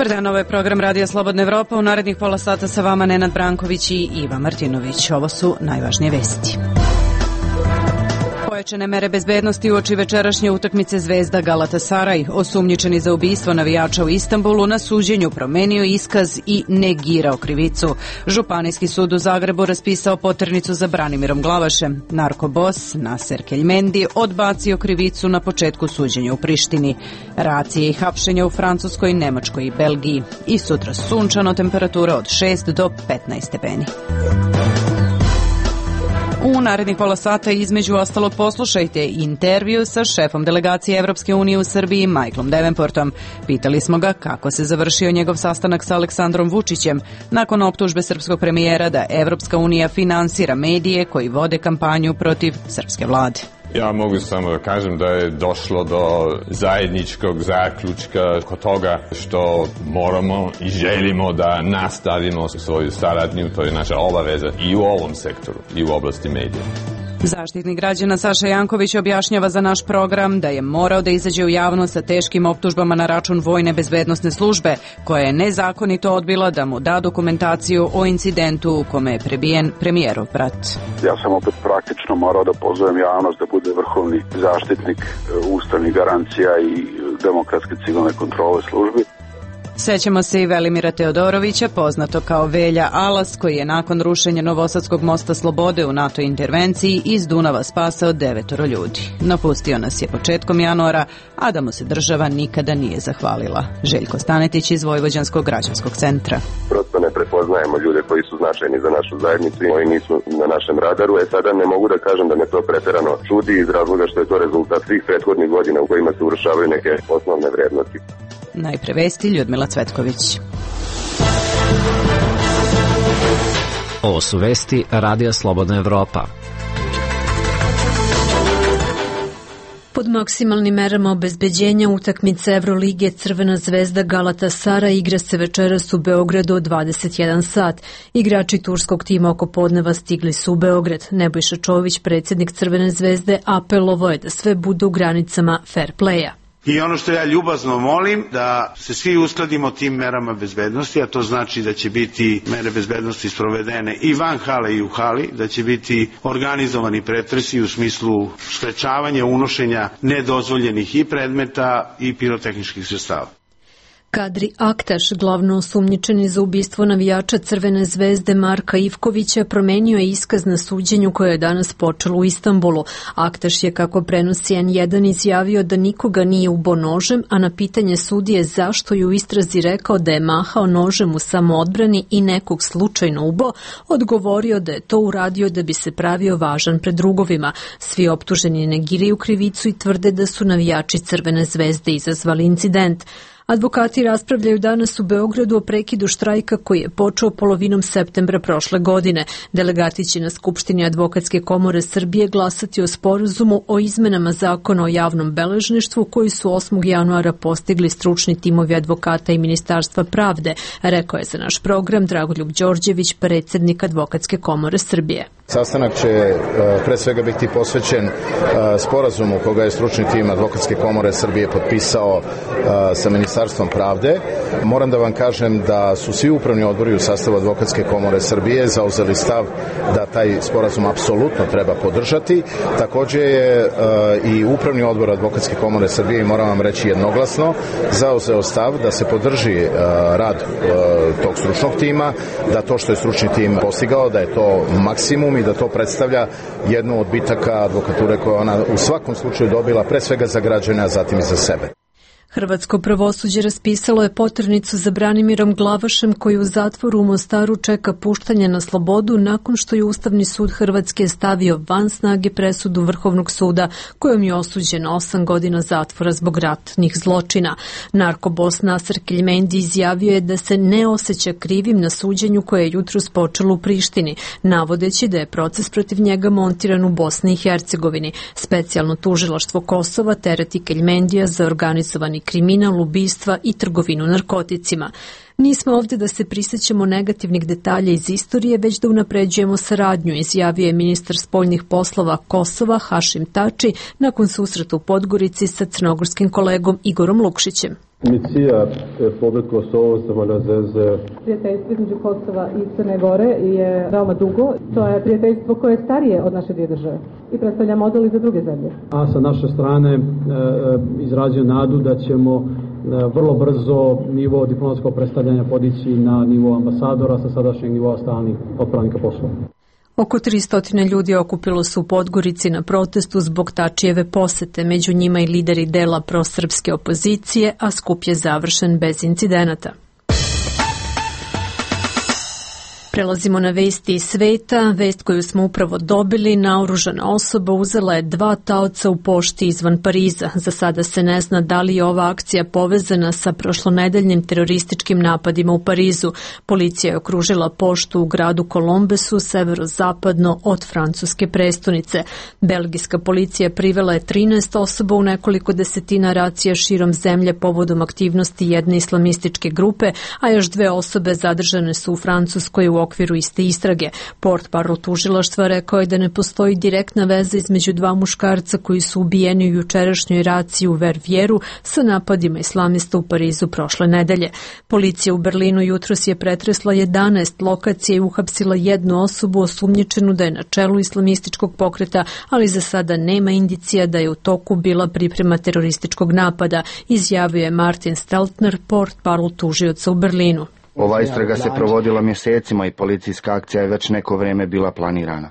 Dobar dan, ovo je program Radija Slobodna Evropa. U narednih pola sata sa vama Nenad Branković i Iva Martinović. Ovo su najvažnije vesti. Pojačane mere bezbednosti uoči večerašnje utakmice Zvezda Galatasaraj. Osumnjičeni za ubistvo navijača u Istanbulu na suđenju promenio iskaz i negirao krivicu. Županijski sud u Zagrebu raspisao poternicu za Branimirom Glavašem. Narkobos Naser Keljmendi odbacio krivicu na početku suđenja u Prištini. Racije i hapšenja u Francuskoj, Nemačkoj i Belgiji. I sutra sunčano, temperatura od 6 do 15 stepeni. U narednih pola sata između ostalog poslušajte intervju sa šefom delegacije Evropske unije u Srbiji Michaelom Davenportom. Pitali smo ga kako se završio njegov sastanak sa Aleksandrom Vučićem nakon optužbe srpskog premijera da Evropska unija finansira medije koji vode kampanju protiv srpske vlade. Ja mogu samo da kažem da je došlo do zajedničkog zaključka kod toga što moramo i želimo da nastavimo svoju saradnju, to je naša obaveza i u ovom sektoru i u oblasti medija. Zaštitnik građana Saša Janković objašnjava za naš program da je morao da izađe u javnost sa teškim optužbama na račun Vojne bezbednosne službe, koja je nezakonito odbila da mu da dokumentaciju o incidentu u kome je prebijen premijerov brat. Ja sam opet praktično morao da pozovem javnost da bude vrhovni zaštitnik ustavnih garancija i demokratske civilne kontrole službi. Sećamo se i Velimira Teodorovića, poznato kao Velja Alas, koji je nakon rušenja Novosadskog mosta Slobode u NATO intervenciji iz Dunava spasao 9 ljudi. Napustio nas je početkom januara, a da mu se država nikada nije zahvalila. Željko Stanetić iz Vojvođanskog građanskog centra. Prosto ne prepoznajemo ljude koji su značajni za našu zajednicu i oni nisu na našem radaru. Sada ne mogu da kažem da me to preterano čudi iz razloga što je to rezultat svih prethodnih godina u kojima se urušavaju neke osnovne vrednosti. Najpre vesti, Ljudmila Cvetković. Ovo su vesti Radija Slobodna Evropa. Pod maksimalnim merama obezbeđenja utakmice Evrolige Crvena zvezda Galatasaraj igra se večeras u Beogradu od 21 sat. Igrači turskog tima oko podneva stigli su u Beograd. Nebojša Čović, predsjednik Crvene zvezde, apelovao je da sve bude u granicama fair playa. I ono što ja ljubazno molim, da se svi uskladimo tim merama bezbednosti, a to znači da će biti mere bezbednosti sprovedene i van hale i u hali, da će biti organizovani pretresi u smislu sprečavanja unošenja nedozvoljenih i predmeta i pirotehničkih sredstava. Kadri Aktaš, glavno osumnjičeni za ubistvo navijača Crvene zvezde Marka Ivkovića, promenio je iskaz na suđenju koje je danas počelo u Istanbulu. Aktaš je, kako prenosi N1, izjavio da nikoga nije ubo nožem, a na pitanje sudije zašto je u istrazi rekao da je mahao nožem u samoodbrani i nekog slučajno ubo, odgovorio da je to uradio da bi se pravio važan pred drugovima. Svi optuženi negiraju krivicu i tvrde da su navijači Crvene zvezde izazvali incident. Advokati raspravljaju danas u Beogradu o prekidu štrajka koji je počeo polovinom septembra prošle godine. Delegati će na Skupštini Advokatske komore Srbije glasati o sporazumu o izmenama zakona o javnom beležništvu koji su 8. januara postigli stručni timovi advokata i Ministarstva pravde, rekao je za naš program Dragoljub Đorđević, predsjednik Advokatske komore Srbije. Sastanak će pre svega biti posvećen sporazumu koga je stručni tim Advokatske komore Srbije potpisao sa Ministarstvom pravde. Moram da vam kažem da su svi upravni odbori u sastavu Advokatske komore Srbije zauzeli stav da taj sporazum apsolutno treba podržati. Također je i upravni odbor Advokatske komore Srbije, i moram vam reći jednoglasno, zauzeo stav da se podrži rad tog stručnog tima, da to što je stručni tim postigao, da je to maksimum i da to predstavlja jednu od bitaka advokature koja ona u svakom slučaju dobila, pre svega za građane, a zatim i za sebe. Hrvatsko pravosuđe raspisalo je poternicu za Branimirom Glavašem, koji u zatvoru u Mostaru čeka puštanje na slobodu nakon što je Ustavni sud Hrvatske stavio van snage presudu Vrhovnog suda kojom je osuđen 8 godina zatvora zbog ratnih zločina. Narkobos Naser Keljmendi izjavio je da se ne osjeća krivim na suđenju koje je jutros počelo u Prištini, navodeći da je proces protiv njega montiran u Bosni i Hercegovini. Specijalno tužilaštvo Kosova tereti Keljmendija za organizovani kriminal, ubistva i trgovinu narkoticima. Nismo ovdje da se prisjećamo negativnih detalja iz istorije, već da unapređujemo saradnju, izjavio je ministar spoljnih poslova Kosova Hašim Tači nakon susreta u Podgorici sa crnogorskim kolegom Igorom Lukšićem. Misija Republike Kosovo sama na zeze. Prijateljstvo između Kosova i Crne Gore je veoma dugo. To je prijateljstvo koje je starije od naše dvije države i predstavlja model i za druge zemlje. A sa naše strane izrazio nadu da ćemo vrlo brzo nivo diplomatskog predstavljanja podići na nivo ambasadora sa sadašnjeg nivoa stalnih otpravnika poslova. Oko 300 ljudi okupilo su u Podgorici na protestu zbog Tačijeve posete, među njima i lideri dela prosrpske opozicije, a skup je završen bez incidenata. Prelazimo na vesti iz sveta. Vest koju smo upravo dobili, naoružana osoba uzela je 2 taoca u pošti izvan Pariza. Za sada se ne zna da li je ova akcija povezana sa prošlonedeljnim terorističkim napadima u Parizu. Policija je okružila poštu u gradu Kolombesu, severozapadno od francuske prestonice. Belgijska policija privela je 13 osoba u nekoliko desetina racija širom zemlje povodom aktivnosti jedne islamističke grupe, a još 2 osobe zadržane su u Francuskoj u okviru iste istrage. Portparol tužilaštva rekao je da ne postoji direktna veza između 2 muškarca koji su ubijeni u jučerašnjoj raciji u Vervjeru sa napadima islamista u Parizu prošle nedelje. Policija u Berlinu jutros je pretresla 11 lokacija i uhapsila 1 osobu osumnjičenu da je na čelu islamističkog pokreta, ali za sada nema indicija da je u toku bila priprema terorističkog napada, izjavio je Martin Steltner, portparol tužioca u Berlinu. Ova istraga se provodila mjesecima i policijska akcija je već neko vrijeme bila planirana.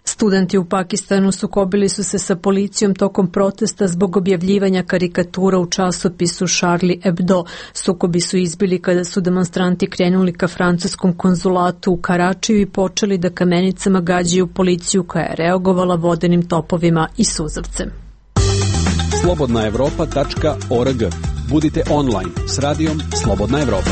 Studenti u Pakistanu sukobili su se sa policijom tokom protesta zbog objavljivanja karikatura u časopisu Charlie Hebdo. Sukobi su izbili kada su demonstranti krenuli ka francuskom konzulatu u Karačiju i počeli da kamenicama gađaju policiju koja je reagovala vodenim topovima i suzavcem. slobodnaevropa.org. Budite online s radijom Slobodna Evropa.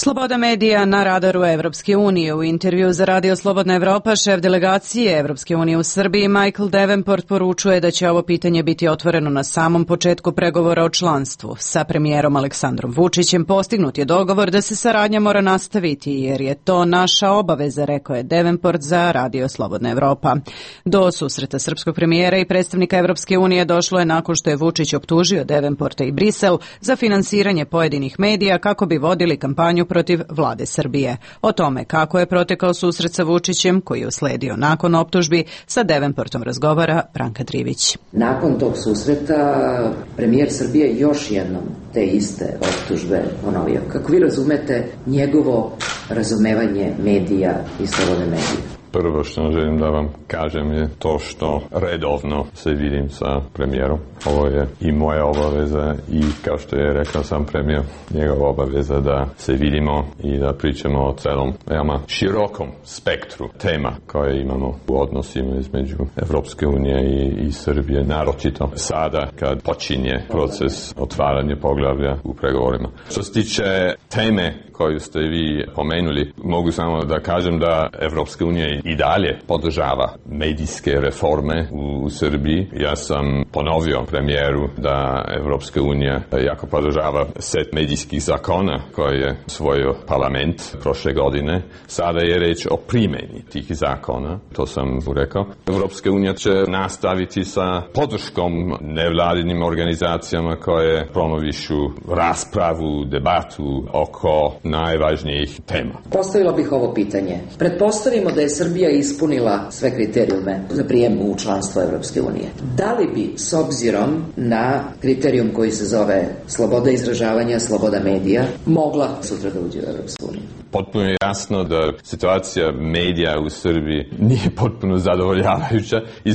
Sloboda medija na radaru Evropske unije. U intervju za Radio Slobodna Evropa šef delegacije Evropske unije u Srbiji Michael Davenport poručuje da će ovo pitanje biti otvoreno na samom početku pregovora o članstvu. Sa premijerom Aleksandrom Vučićem postignut je dogovor da se saradnja mora nastaviti jer je to naša obaveza, rekao je Davenport za Radio Slobodna Evropa. Do susreta srpskog premijera i predstavnika Evropske unije došlo je nakon što je Vučić optužio Davenporta i Brisel za finansiranje pojedinih medija kako bi vodili kampanju protiv vlade Srbije. O tome kako je protekao susret sa Vučićem, koji je usledio nakon optužbi, sa Davenportom razgovara Branka Drivić. Nakon tog susreta premijer Srbije još jednom te iste optužbe ponovio. Kako vi razumete njegovo razumevanje medija i slobode medija? Prvo što želim da vam kažem je to što redovno se vidim sa premijerom. Ovo je i moja obaveza i kao što je rekao sam premijer, njegova obaveza da se vidimo i da pričamo o celom veoma širokom spektru tema koje imamo u odnosima između Evropske unije i Srbije, naročito sada kad počinje proces otvaranja poglavlja u pregovorima. Što se tiče teme koju ste vi pomenuli, mogu samo da kažem da Evropska unija i dalje podržava medijske reforme u Srbiji. Ja sam ponovio premijeru da Evropska unija jako podržava set medijskih zakona koje je usvojio parlament prošle godine. Sada je reč o primjeni tih zakona, to sam rekao. Evropska unija će nastaviti sa podrškom nevladinim organizacijama koje promovišu raspravu, debatu oko najvažnijih tema. Postavila bih ovo pitanje. Pretpostavimo da je Srbija ispunila sve kriterijume za prijem u članstvo Evropske unije. Da li bi, s obzirom na kriterijum koji se zove sloboda izražavanja, sloboda medija, mogla sutra da uđe u Evropsku uniju? Potpuno je jasno da situacija medija u Srbiji nije potpuno zadovoljavajuća i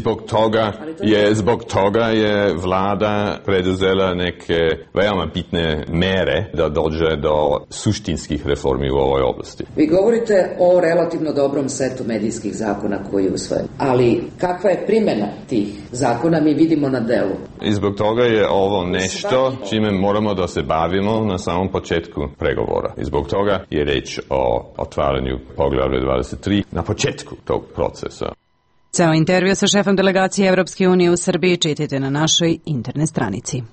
zbog toga je vlada preduzela neke veoma bitne mere da dođe do suštinskih reformi u ovoj oblasti. Vi govorite o relativno dobrom setu medijskih zakona koji je usvojen, ali kakva je primjena tih zakona mi vidimo na delu. I zbog toga je ovo nešto čime moramo da se bavimo na samom početku pregovora. I zbog toga je reč o otvaranju poglavlja 23 na početku tog procesa. Ceo intervju sa šefom delegacije Evropske unije u Srbiji čitajte na našoj internet stranici.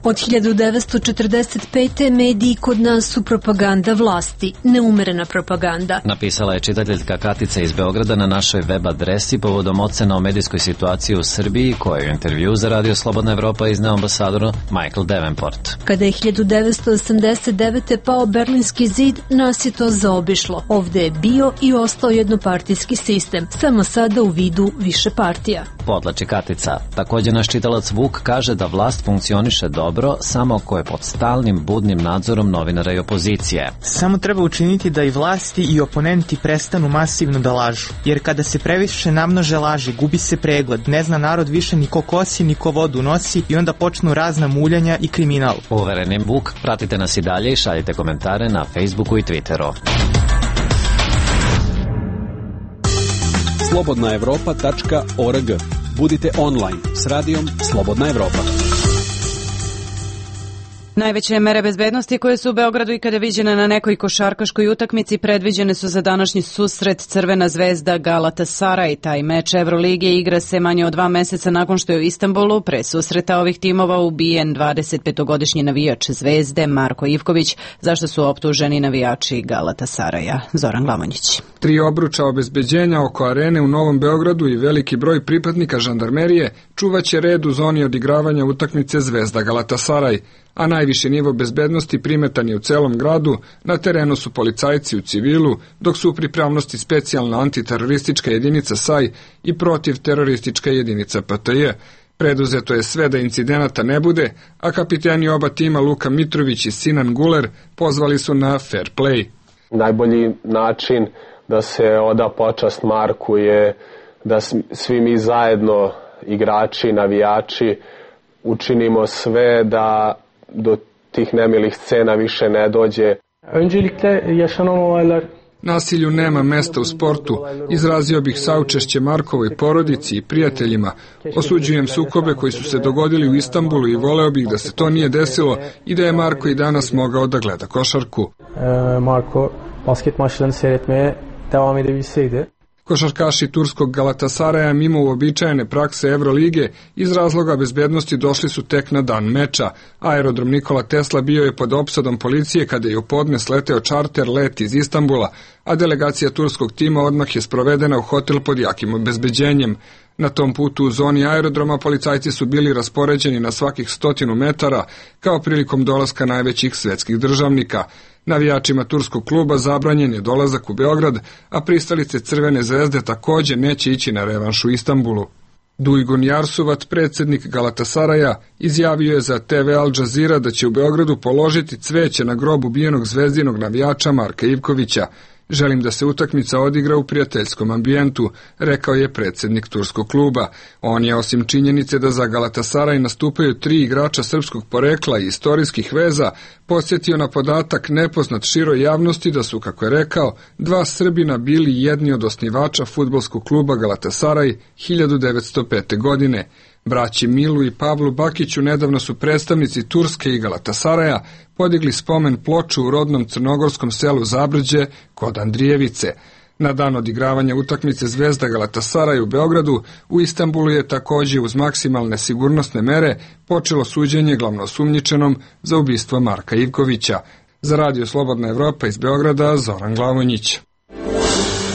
Od 1945. mediji kod nas su propaganda vlasti, neumerena propaganda. Napisala je čitateljka Katica iz Beograda na našoj web adresi povodom ocena o medijskoj situaciji u Srbiji, koju je u intervju za Radio Slobodna Evropa izneo ambasador Michael Davenport. Kada je 1989. pao Berlinski zid, nas je to zaobišlo. Ovde je bio i ostao jednopartijski sistem, samo sada u vidu više partija. Podlači Katica. Također naš čitalac Vuk kaže da vlast funkcioniše dobro samo ako je pod stalnim budnim nadzorom novinara i opozicije. Samo treba učiniti da i vlasti i oponenti prestanu masivno da lažu. Jer kada se previše namnože laži, gubi se pregled, ne zna narod više ni ko kosi, ni ko vodu nosi i onda počnu razna muljanja i kriminal. Uverenim Vuk, pratite nas i dalje i šaljite komentare na Facebooku i Twitteru. slobodnaevropa.org. Budite online s radijom Slobodna Evropa. Najveće mere bezbednosti koje su u Beogradu ikada viđene na nekoj košarkaškoj utakmici predviđene su za današnji susret Crvena zvezda Galatasaray. Taj meč Evrolige igra se manje od 2 meseca nakon što je u Istanbulu pre susreta ovih timova ubijen 25-godišnji navijač Zvezde Marko Ivković, zašto su optuženi navijači Galatasaraya. Zoran Glamonjić. 3 obruča obezbeđenja oko arene u Novom Beogradu i veliki broj pripadnika žandarmerije čuvaće red u zoni odigravanja utakmice Zvezda Galatasaray, a najviši nivo bezbednosti primetan je u celom gradu. Na terenu su policajci u civilu, dok su u pripravnosti specijalna antiteroristička jedinica SAJ i protivteroristička jedinica PTJ. Preduzeto je sve da incidenata ne bude, a kapiteni oba tima Luka Mitrović i Sinan Guler pozvali su na fair play. Najbolji način da se oda počast Marku je da svi mi zajedno, igrači, navijači, učinimo sve da do tih nemilih scena više ne dođe. Nasilju nema mesta u sportu. Izrazio bih saučešće Markovoj porodici i prijateljima. Osuđujem sukobe koji su se dogodili u Istanbulu i voleo bih da se to nije desilo i da je Marko i danas mogao da gleda košarku. Marko basket maçlarını seyretmeye devam edebilseydi. Košarkaši turskog Galatasaraya mimo uobičajene prakse Evrolige iz razloga bezbednosti došli su tek na dan meča. Aerodrom Nikola Tesla bio je pod opsadom policije kada je u podne sleteo čarter let iz Istanbula, a delegacija turskog tima odmah je sprovedena u hotel pod jakim obezbeđenjem. Na tom putu u zoni aerodroma policajci su bili raspoređeni na svakih 100 metara, kao prilikom dolaska najvećih svetskih državnika. Navijačima turskog kluba zabranjen je dolazak u Beograd, a pristalice Crvene zvezde također neće ići na revanš u Istanbulu. Dujgun Jarsuvat, predsjednik Galatasaraya, izjavio je za TV Al Jazeera da će u Beogradu položiti cveće na grob ubijenog zvezdinog navijača Marka Ivkovića. Želim da se utakmica odigra u prijateljskom ambijentu, rekao je predsjednik turskog kluba. On je, osim činjenice da za Galatasaray nastupaju 3 igrača srpskog porekla i istorijskih veza, podsjetio na podatak nepoznat široj javnosti da su, kako je rekao, 2 Srbina bili jedni od osnivača fudbalskog kluba Galatasaray 1905. godine. Braći Milu i Pavlu Bakiću nedavno su predstavnici Turske i Galatasaraya podigli spomen ploču u rodnom crnogorskom selu Zabrđe kod Andrijevice. Na dan odigravanja utakmice Zvezda Galatasaray u Beogradu, u Istanbulu je također uz maksimalne sigurnosne mere počelo suđenje glavnoosumnjičenom za ubistvo Marka Ivkovića. Za Radio Slobodna Evropa iz Beograda, Zoran Glavonjić.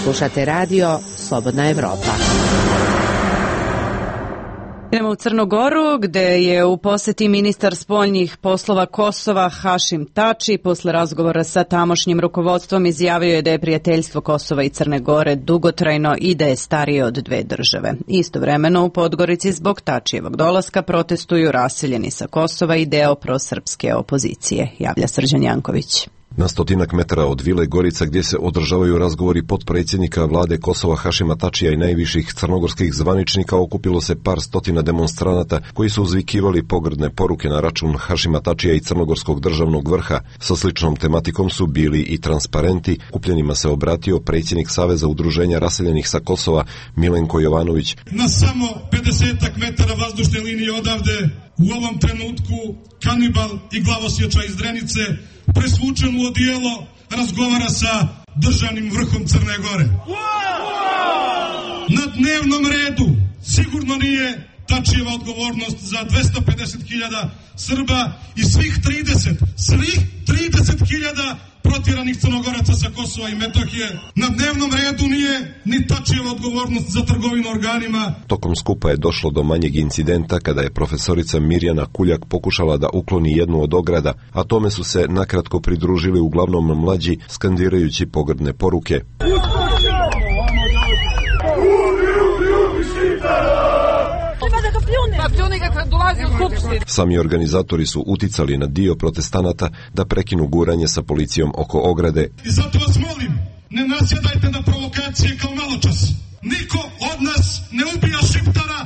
Slušate Radio Slobodna Evropa. Idemo u Crnu Goru, gde je u poseti ministar spoljnih poslova Kosova Hašim Tači. Posle razgovora sa tamošnjim rukovodstvom izjavio je da je prijateljstvo Kosova i Crne Gore dugotrajno i da je starije od 2 države. Istovremeno u Podgorici zbog Tačijevog dolaska protestuju raseljeni sa Kosova i deo prosrpske opozicije, javlja Srđan Janković. Na 100 metara od Vile Gorica, gdje se održavaju razgovori potpredsjednika vlade Kosova Hašima Tačija i najviših crnogorskih zvaničnika, okupilo se par stotina demonstranata koji su uzvikivali pogrdne poruke na račun Hašima Tačija i crnogorskog državnog vrha. Sa sličnom tematikom su bili i transparenti. Kupljenima se obratio predsjednik Saveza udruženja raseljenih sa Kosova Milenko Jovanović. Na samo 50 metara vazdušne linije odavde, u ovom trenutku kanibal i glavosječa iz Drenice, presvučen u odijelo, razgovara sa državnim vrhom Crne Gore. Na dnevnom redu sigurno nije Tačijeva odgovornost za 250.000 Srba i svih 30.000 protjeranih Crnogoraca sa Kosova i Metohije. Na dnevnom redu nije ni Tačijeva odgovornost za trgovinu organima. Tokom skupa je došlo do manjeg incidenta kada je profesorica Mirjana Kuljak pokušala da ukloni jednu od ograda, a tome su se nakratko pridružili uglavnom mlađi, skandirajući pogrdne poruke. Sami organizatori su uticali na dio protestanata da prekinu guranje sa policijom oko ograde. I zato vas molim, ne nasjedajte na provokacije kao maločas. Niko od nas ne ubija Šiptara,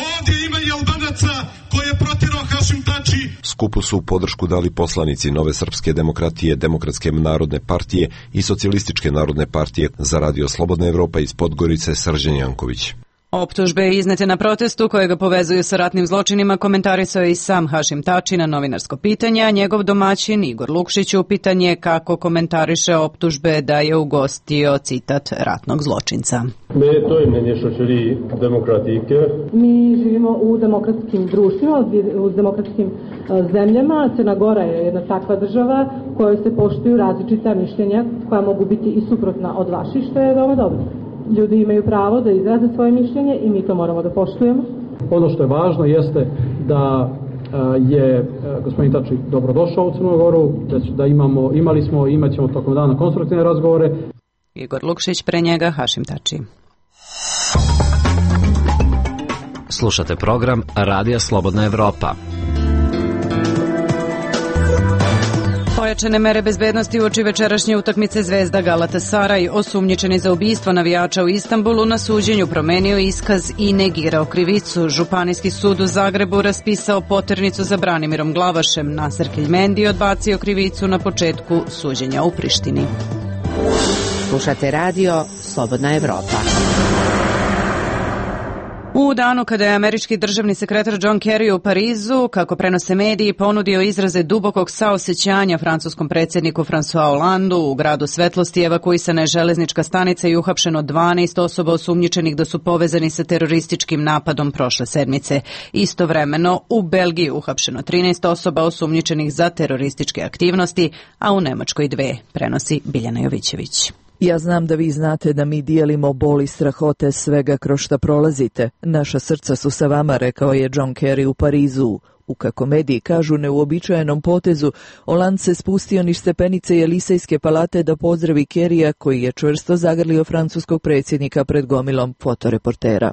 ovdje ima i Albanaca koje je protjerao Hašim Tači. Skupu su podršku dali poslanici Nove srpske demokratije, Demokratske narodne partije i Socijalističke narodne partije. Za Radio Slobodna Evropa iz Podgorice, Srđan Janković. Optužbe iznete na protestu koje ga povezuju sa ratnim zločinima komentarisao je i sam Hašim Tači na novinarsko pitanje, a njegov domaćin Igor Lukšić upitan je kako komentariše optužbe da je ugostio, citat, ratnog zločinca. Mi živimo u demokratskim društvima, u demokratskim zemljama. Crna Gora je jedna takva država u kojoj se poštuju različita mišljenja koja mogu biti i suprotna od vaših, što je veoma dobro. Ljudi imaju pravo da izraze svoje mišljenje i mi to moramo da poštujemo. Ono što je važno jeste da je gospodin Tači dobrodošao u Crnu Goru, da imali smo i imat ćemo tokom dana konstruktivne razgovore. Igor Lukšić, pre njega Hašim Tači. Slušate program Radija Slobodna Evropa. Pojačane mere bezbednosti uoči večerašnje utakmice Zvezda Galatasaraj. Osumnjičeni za ubistvo navijača u Istanbulu na suđenju promenio iskaz i negirao krivicu. Županijski sud u Zagrebu raspisao poternicu za Branimirom Glavašem. Nasser Keljmendi odbacio krivicu na početku suđenja u Prištini. Slušate radio Slobodna Evropa. U danu kada je američki državni sekretar John Kerry u Parizu, kako prenose mediji, ponudio izraze dubokog saosećanja francuskom predsjedniku François Hollandu, u gradu Svetlosti evakuisana je železnička stanica i uhapšeno 12 osoba osumnjičenih da su povezani sa terorističkim napadom prošle sedmice. Istovremeno u Belgiji uhapšeno 13 osoba osumnjičenih za terorističke aktivnosti, a u Nemačkoj 2, prenosi Biljana Jovićević. Ja znam da vi znate da mi dijelimo bol i strahote svega kroz šta prolazite. Naša srca su sa vama, rekao je John Kerry u Parizu. U, kako mediji kažu, neuobičajenom potezu, Hollande se spustio niz stepenice Jelisejske palate da pozdravi Kerrya, koji je čvrsto zagrlio francuskog predsjednika pred gomilom fotoreportera.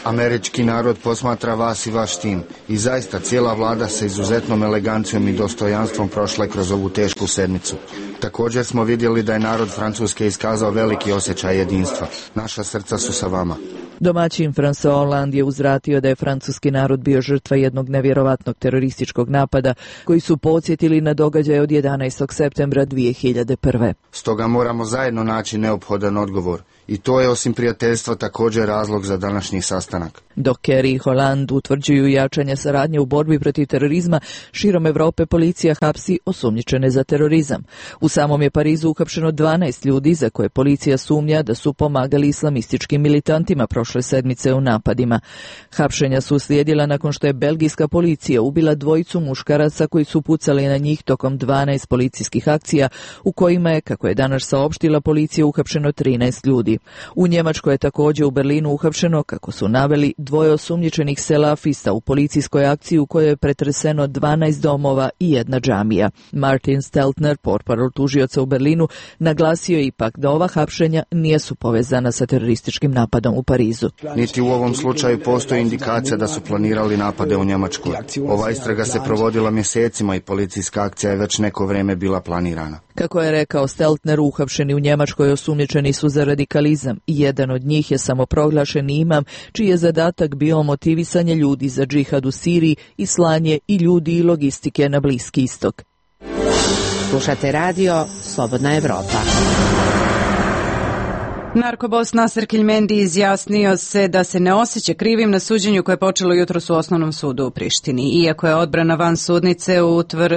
Američki narod posmatra vas i vaš tim i zaista cijela vlada sa izuzetnom elegancijom i dostojanstvom prošla kroz ovu tešku sedmicu. Također smo vidjeli da je narod Francuske iskazao veliki osjećaj jedinstva. Naša srca su sa vama. Domaćin François Hollande je uzvratio da je francuski narod bio žrtva jednog nevjerovatnog terorističkog napada koji su podsjetili na događaje od 11. septembra 2001. Stoga moramo zajedno naći neophodan odgovor. I to je osim prijateljstva također razlog za današnji sastanak. Dok Kerry i Hollande utvrđuju jačanje saradnje u borbi protiv terorizma, širom Evrope policija hapsi osumnjičene za terorizam. U samom je Parizu uhapšeno 12 ljudi za koje policija sumnja da su pomagali islamističkim militantima prošle sedmice u napadima. Hapšenja su uslijedila nakon što je belgijska policija ubila 2 muškaraca koji su pucali na njih tokom 12 policijskih akcija u kojima je, kako je danas saopštila policija, uhapšeno 13 ljudi. U Njemačkoj je također u Berlinu uhapšeno, kako su naveli, 2 osumnjičenih selafista u policijskoj akciji u kojoj je pretreseno 12 domova i 1 džamija. Martin Steltner, portparol tužioca u Berlinu, naglasio je ipak da ova hapšenja nisu povezana sa terorističkim napadom u Parizu. Niti u ovom slučaju postoji indikacija da su planirali napade u Njemačkoj. Ova istraga se provodila mjesecima i policijska akcija je već neko vrijeme bila planirana. Kako je rekao Steltner, uhapšeni u Njemačkoj osumnjičeni su za radikalizam i jedan od njih je samoproglašeni imam, čiji je zadatak bio motivisanje ljudi za džihad u Siriji i slanje i ljudi i logistike na Bliski istok. Slušate radio Slobodna Evropa. Narkobos Naser Keljmendi izjasnio se da se ne osjeća krivim na suđenju koje je počelo jutros u Osnovnom sudu u Prištini. Iako je odbrana van sudnice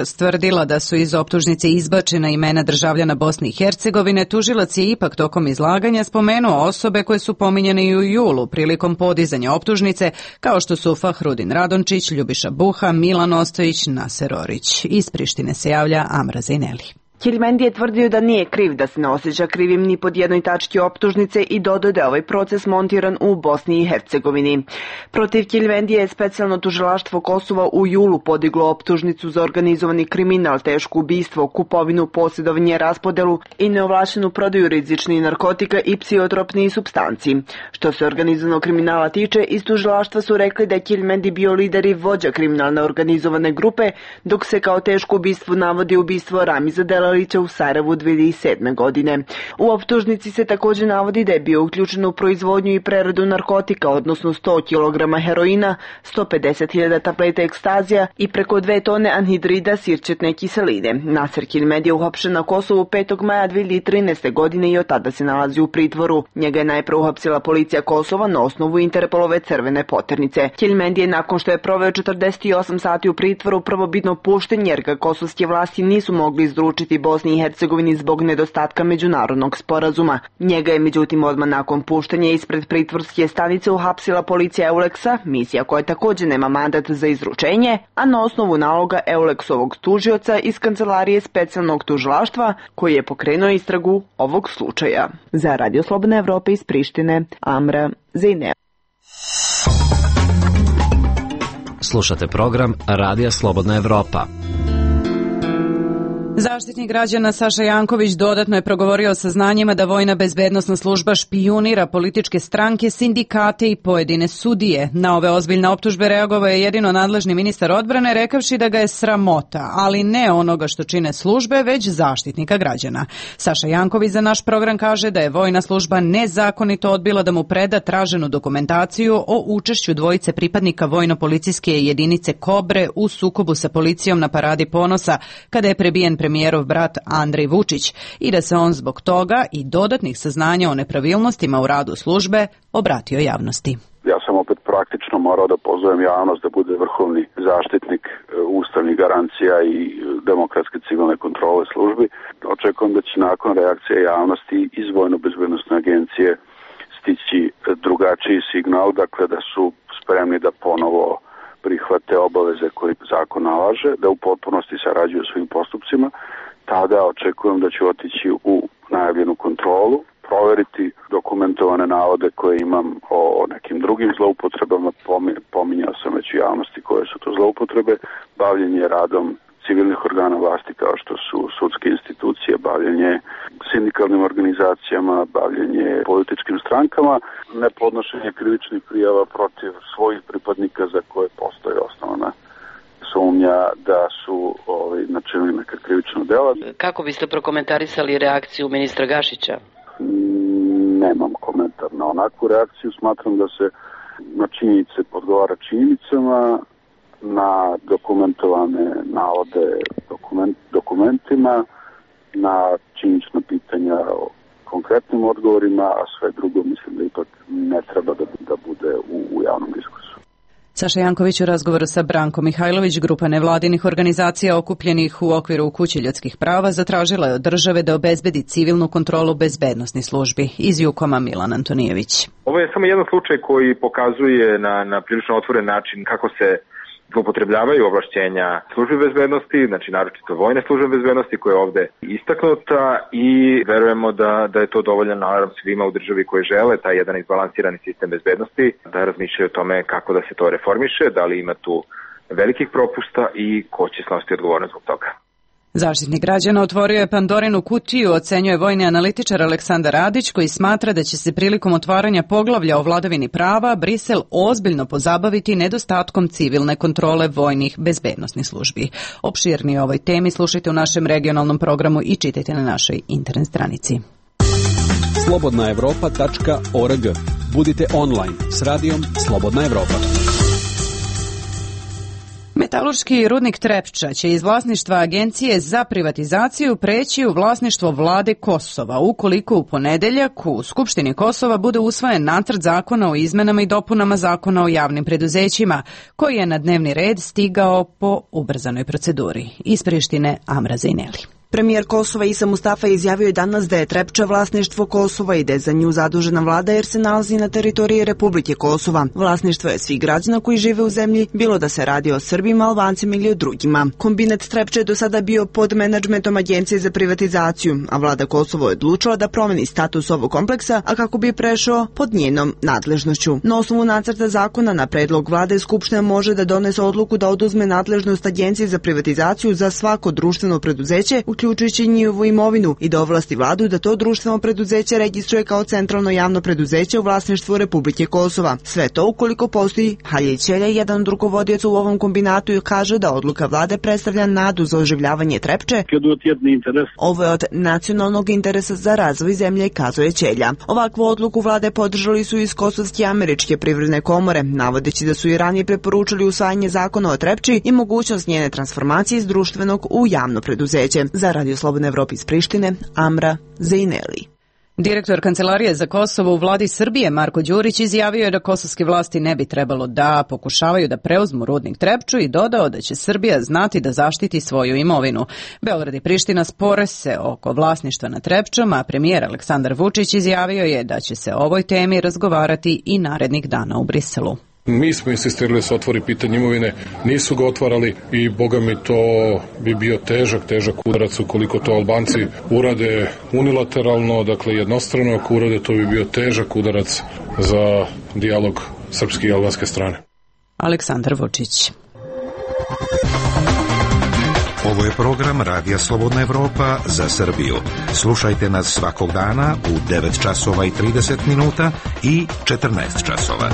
stvrdila da su iz optužnice izbačena imena državljana Bosne i Hercegovine, tužilac je ipak tokom izlaganja spomenuo osobe koje su pominjene i u julu prilikom podizanja optužnice, kao što su Fahrudin Radončić, Ljubiša Buha, Milan Ostojić, Naser Orić. Iz Prištine se javlja Amra Zejneli. Keljmendi je tvrdio da nije kriv, da se ne osjeća krivim ni pod jednoj tački optužnice i dodao da je ovaj proces montiran u Bosni i Hercegovini. Protiv Keljmendi je specijalno tužilaštvo Kosova u julu podiglo optužnicu za organizovani kriminal, teško ubistvo, kupovinu, posjedovanje, raspodelu i neovlašćenu prodaju rizičnih narkotika i psihotropnih supstanci. Što se organizovanog kriminala tiče, iz tužilaštva su rekli da je Keljmendi bio lider i vođa kriminalne organizovane grupe, dok se kao teško ubistvo navodi ubistvo Ramiza Delalića u Sarajevu 2007. godine. U optužnici se također navodi da je bio uključen u proizvodnju i preradu narkotika, odnosno 100 kg heroina, 150.000 tableta ekstazija i preko 2 tone anhidrida sirćetne kiseline. Naser Keljmendi je uhapšen na Kosovu 5. maja 2013. godine i od tada se nalazi u pritvoru. Njega je najpre uhapsila policija Kosova na osnovu Interpolove crvene poternice. Keljmendi je nakon što je proveo 48 sati u pritvoru prvobitno pušten jer ga kosovske vlasti nisu mogli izručiti Bosni i Hercegovini zbog nedostatka međunarodnog sporazuma. Njega je međutim odmah nakon puštanja ispred pritvorske stanice uhapsila policija Euleksa, misija koja također nema mandat za izručenje, a na osnovu naloga Euleksovog tužioca iz kancelarije specijalnog tužilaštva koji je pokrenuo istragu ovog slučaja. Za Radio Slobodna Evropa iz Prištine, Amra Zejneli. Slušate program Radija Slobodna Evropa. Zaštitnik građana Saša Janković dodatno je progovorio o saznanjima da Vojna bezbednosna služba špijunira političke stranke, sindikate i pojedine sudije. Na ove ozbiljne optužbe reagovao je jedino nadležni ministar odbrane, rekavši da ga je sramota, ali ne onoga što čine službe, već Zaštitnika građana. Saša Janković za naš program kaže da je Vojna služba nezakonito odbila da mu preda traženu dokumentaciju o učešću dvojice pripadnika vojno-policijske jedinice Kobre u sukobu sa policijom na Paradi ponosa, kada je prebijen premijerov brat Andrej Vučić i da se on zbog toga i dodatnih saznanja o nepravilnostima u radu službe obratio javnosti. Ja sam opet praktično morao da pozovem javnost da bude vrhovni zaštitnik ustavnih garancija i demokratske civilne kontrole službi. Očekujem da će nakon reakcije javnosti iz Vojno-bezbednosne agencije stići drugačiji signal, dakle da su spremni da ponovo prihvate obaveze koje zakon nalaže, da u potpunosti sarađuju svim postupcima. Tada očekujem da ću otići u najavljenu kontrolu, proveriti dokumentovane navode koje imam o nekim drugim zloupotrebama, pominjao sam već u javnosti koje su to zloupotrebe, bavljenje radom civilnih organa vlasti kao što su sudske institucije, bavljenje sindikalnim organizacijama, bavljenje političkim strankama, nepodnošenje krivičnih prijava protiv svojih pripadnika za koje postoji osnovna sumnja da su načinili neka krivična dela. Kako biste prokomentarisali reakciju ministra Gašića? Nemam komentar na onakvu reakciju. Smatram da se na činjenice odgovara činjenicama, na dokumentovane navode dokumentima, na činjenična pitanja o konkretnim odgovorima, a sve drugo mislim da ipak ne treba da bude u javnom diskursu. Saša Janković u razgovoru sa Brankom Mihajlović, grupa nevladinih organizacija okupljenih u okviru Kuće ljudskih prava, zatražila je od države da obezbedi civilnu kontrolu bezbednosnih službi. Iz Jukoma Milan Antonijević. Ovo je samo jedan slučaj koji pokazuje na prilično otvoren način kako se zloupotrebljavaju ovlašćenja službe bezbednosti, znači naročito vojne službe bezbednosti koja je ovde istaknuta i verujemo da je to dovoljan alarm svima u državi koji žele taj jedan izbalansirani sistem bezbednosti, da razmišljaju o tome kako da se to reformiše, da li ima tu velikih propusta i ko će snositi odgovornost zbog toga. Zaštitnik građana otvorio je Pandorinu kutiju, ocenjuje vojni analitičar Aleksandar Radić, koji smatra da će se prilikom otvaranja poglavlja o vladavini prava Brisel ozbiljno pozabaviti nedostatkom civilne kontrole vojnih bezbednosnih službi. Opširnije o ovoj temi slušajte u našem regionalnom programu i čitajte na našoj internet stranici. slobodnaevropa.org. Budite online s radijom Slobodna Evropa. Metalurški rudnik Trepča će iz vlasništva Agencije za privatizaciju preći u vlasništvo vlade Kosova, ukoliko u ponedeljak u Skupštini Kosova bude usvojen nacrt zakona o izmenama i dopunama zakona o javnim preduzećima, koji je na dnevni red stigao po ubrzanoj proceduri. Iz Prištine, Amra Zejneli. Premijer Kosova Isa Mustafa izjavio je danas da je Trepča vlasništvo Kosova i da je za nju zadužena vlada jer se nalazi na teritoriji Republike Kosova. Vlasništvo je svih građana koji žive u zemlji, bilo da se radi o Srbima, Albancima ili o drugima. Kombinat Trepče je do sada bio pod menadžmentom Agencije za privatizaciju, a vlada Kosova je odlučila da promeni status ovog kompleksa, a kako bi prešao pod njenom nadležnošću. Na osnovu nacrta zakona na predlog vlade Skupština može da donese odluku da oduzme nadležnost Agencije za privatizaciju za svako društveno preduzeće, uključujući njihovu imovinu, i da ovlasti vladu da to društveno preduzeće registruje kao centralno javno preduzeće u vlasništvu Republike Kosova. Sve to ukoliko postoji. Halil Ćelja, jedan od rukovodioca u ovom kombinatu, kaže da odluka vlade predstavlja nadu za oživljavanje Trepče. Ovo je od nacionalnog interesa za razvoj zemlje, kazuje Ćelja. Ovakvu odluku vlade podržali su iz Kosovske američke privredne komore, navodeći da su i ranije preporučili usvajanje zakona o Trepči i mogućnost njene transformacije iz društvenog u javno preduzeće. Za Radio Slobodne Evrope iz Prištine, Amra Zejneli. Direktor Kancelarije za Kosovo u vladi Srbije Marko Đurić izjavio je da kosovske vlasti ne bi trebalo da pokušavaju da preuzmu rudnik Trepču i dodao da će Srbija znati da zaštiti svoju imovinu. Beograd i Priština spore se oko vlasništva nad Trepčom, a premijer Aleksandar Vučić izjavio je da će se o ovoj temi razgovarati i narednih dana u Briselu. Mi smo insistirali da se otvori pitanje imovine, nisu ga otvarali i boga mi to bi bio težak udarac ukoliko to Albanci urade unilateralno, dakle jednostrano, ako urade to bi bio težak udarac za dijalog srpske i albanske strane. Aleksandar Vučić. Ovo je program Radija Slobodna Evropa za Srbiju. Slušajte nas svakog dana u 9 časova i 30 minuta i 14 časova.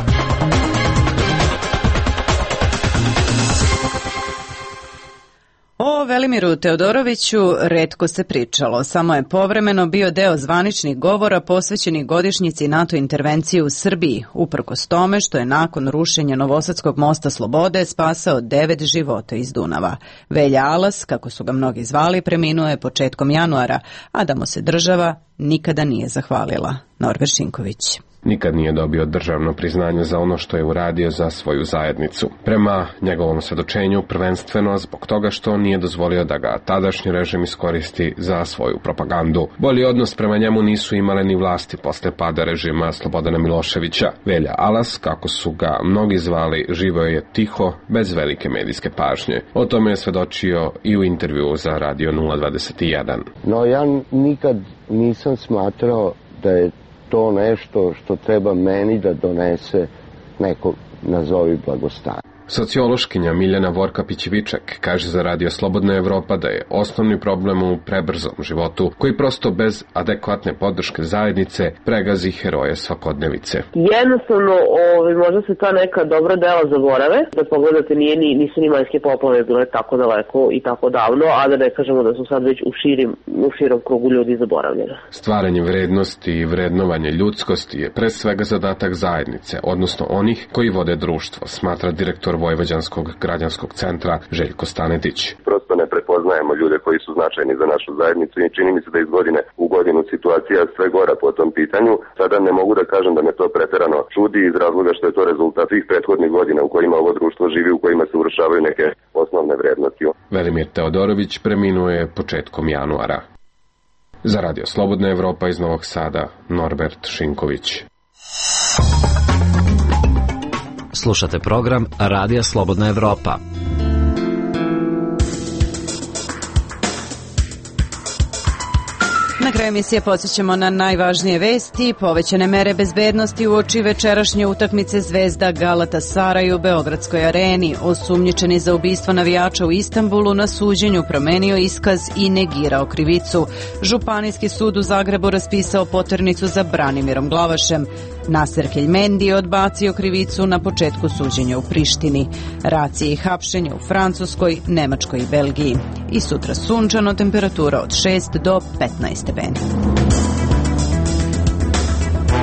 O Velimiru Teodoroviću retko se pričalo, samo je povremeno bio deo zvaničnih govora posvećenih godišnjici NATO intervencije u Srbiji, uprkos tome što je nakon rušenja Novosadskog mosta Slobode spasao 9 života iz Dunava. Velja Alas, kako su ga mnogi zvali, preminuo je početkom januara, a da mu se država nikada nije zahvalila. Norbert Šinković. Nikad nije dobio državno priznanje za ono što je uradio za svoju zajednicu. Prema njegovom svedočenju, prvenstveno zbog toga što nije dozvolio da ga tadašnji režim iskoristi za svoju propagandu. Bolji odnos prema njemu nisu imale ni vlasti posle pada režima Slobodana Miloševića. Velja Alas, kako su ga mnogi zvali, živeo je tiho, bez velike medijske pažnje. O tome je svedočio i u intervjuu za Radio 021. No, ja nikad nisam smatrao da je to nešto što treba meni da donese neko, nazovi, blagostanje. Sociološkinja Miljana Vorkapić-Viček kaže za Radio Slobodna Evropa da je osnovni problem u prebrzom životu, koji prosto bez adekvatne podrške zajednice pregazi heroje svakodnevice. Jednostavno, možda se ta neka dobra dela zaborave, da pogledate nisu ni majske poplave bile tako daleko i tako davno, a da ne kažemo da su sad već u širom krugu ljudi zaboravljene. Stvaranje vrednosti i vrednovanje ljudskosti je pre svega zadatak zajednice, odnosno onih koji vode društvo, smatra direktor Vojvođanskog građanskog centra Željko Stanetić. Prosto ne prepoznajemo ljude koji su značajni za našu zajednicu i čini mi se da iz godine u godinu situacija sve gora po tom pitanju. Sada ne mogu da kažem da me to preterano čudi iz razloga što je to rezultat svih prethodnih godina u kojima ovo društvo živi, u kojima se urušavaju neke osnovne vrednosti. Velimir Teodorović preminuo je početkom januara. Za Radio Slobodna Evropa iz Novog Sada, Norbert Šinković. Slušate program Radija Slobodna Evropa. Na kraju emisije podsjećamo na najvažnije vesti. Povećane mere bezbednosti uoči večerašnje utakmice Zvezda Galatasaraj u Beogradskoj areni. Osumnjičeni za ubistvo navijača u Istanbulu na suđenju promenio iskaz i negirao krivicu. Županijski sud u Zagrebu raspisao poternicu za Branimirom Glavašem. Naser Keljmendi je odbacio krivicu na početku suđenja u Prištini. Racije i hapšenje u Francuskoj, Nemačkoj i Belgiji. I sutra sunčano, temperatura od 6 do 15 stepeni.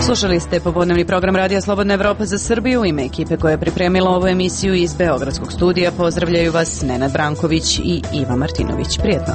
Slušali ste popodnevni program Radija Slobodna Evropa za Srbiju. U ime ekipe koja je pripremila ovu emisiju iz Beogradskog studija pozdravljaju vas Nenad Branković i Iva Martinović. Prijetno.